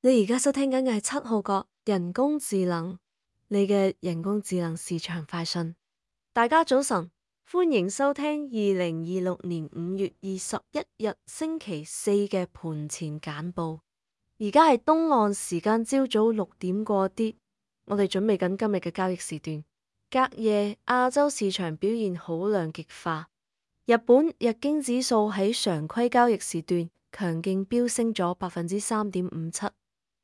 你而家收聽緊嘅係七號角人工智能，你嘅人工智能市場快訊。大家早晨，歡迎收聽2026年5月21日星期四嘅盤前簡報。而家係東岸時間朝早6點過啲，我哋準備緊今日嘅交易時段。隔夜亞洲市場表現好兩極化，日本日經指數喺常規交易時段強勁飆升咗3.57%。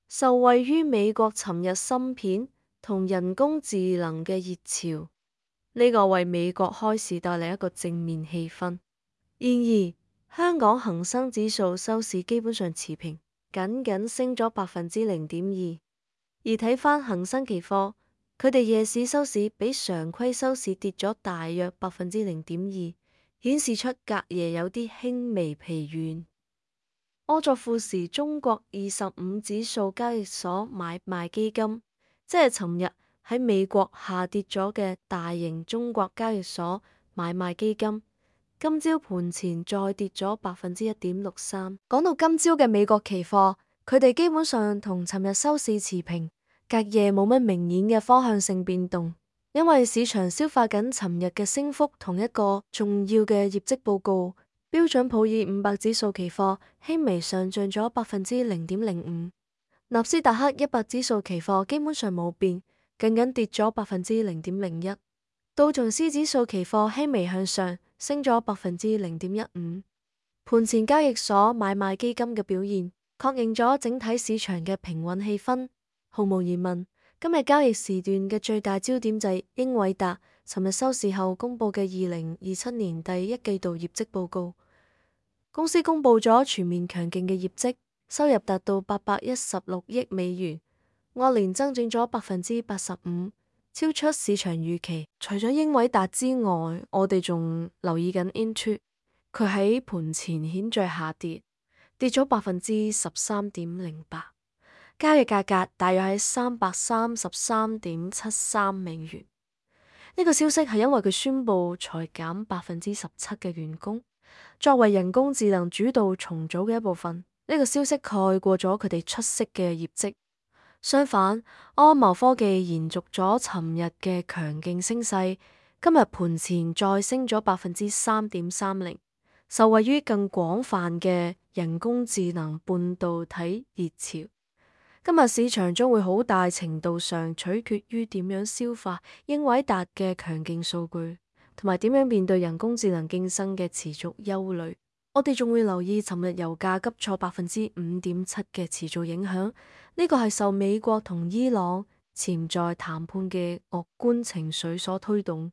受惠於美國尋日芯片同人工智能嘅熱潮，呢個為美國開市帶嚟一個正面氣氛。然而，香港恒生指數收市基本上持平，僅僅升咗0.2%。而睇返恒生期貨，佢哋夜市收市比常規收市跌咗大約0.2%，顯示出隔夜有啲輕微疲軟。柯作富時中國25指數交易所買賣基金，即係尋日喺美國下跌咗嘅大型中國交易所買賣基金，今朝盤前再跌咗1.63%。講到今朝嘅美國期貨，佢哋基本上同尋日收市持平，隔夜冇乜明顯嘅方向性變動，因為市場消化緊尋日嘅升幅同一個重要嘅業績報告。標準普爾500指數期貨輕微上漲咗0.05%，納斯達克100指數期貨基本上冇變，僅僅跌咗0.01%。道瓊斯指數期貨輕微向上，升咗0.15%。盤前交易所買賣基金嘅表現，確認咗整體市場嘅平穩氣氛。毫無疑問，今日交易時段嘅最大焦點就係英偉達尋日收市後公布嘅2027年第一季度業績報告。公司公布咗全面強勁嘅業績，收入達到816億美元，按年增長咗85%，超出市場預期。除咗英偉達之外，我哋仲留意緊 Intuit，佢喺盤前顯著下跌，跌咗13.08%，交易價格大約喺333.73美元。呢個消息係因為佢宣布裁減17%嘅員工。作為人工智能主導重組嘅一部分，呢個消息蓋過咗佢哋出色嘅業績。相反，安謀科技延續咗尋日嘅強勁升勢，今日盤前再升咗3.30%，受惠於更廣泛嘅人工智能半導體熱潮。今日市場將會好大程度上取決於點樣消化英偉達嘅強勁數據，同埋點樣面對人工智能競爭嘅持續憂慮。我哋仲會留意尋日油價急挫5.7%嘅持續影響，呢個係受美國同伊朗潛在談判嘅樂觀情緒所推動。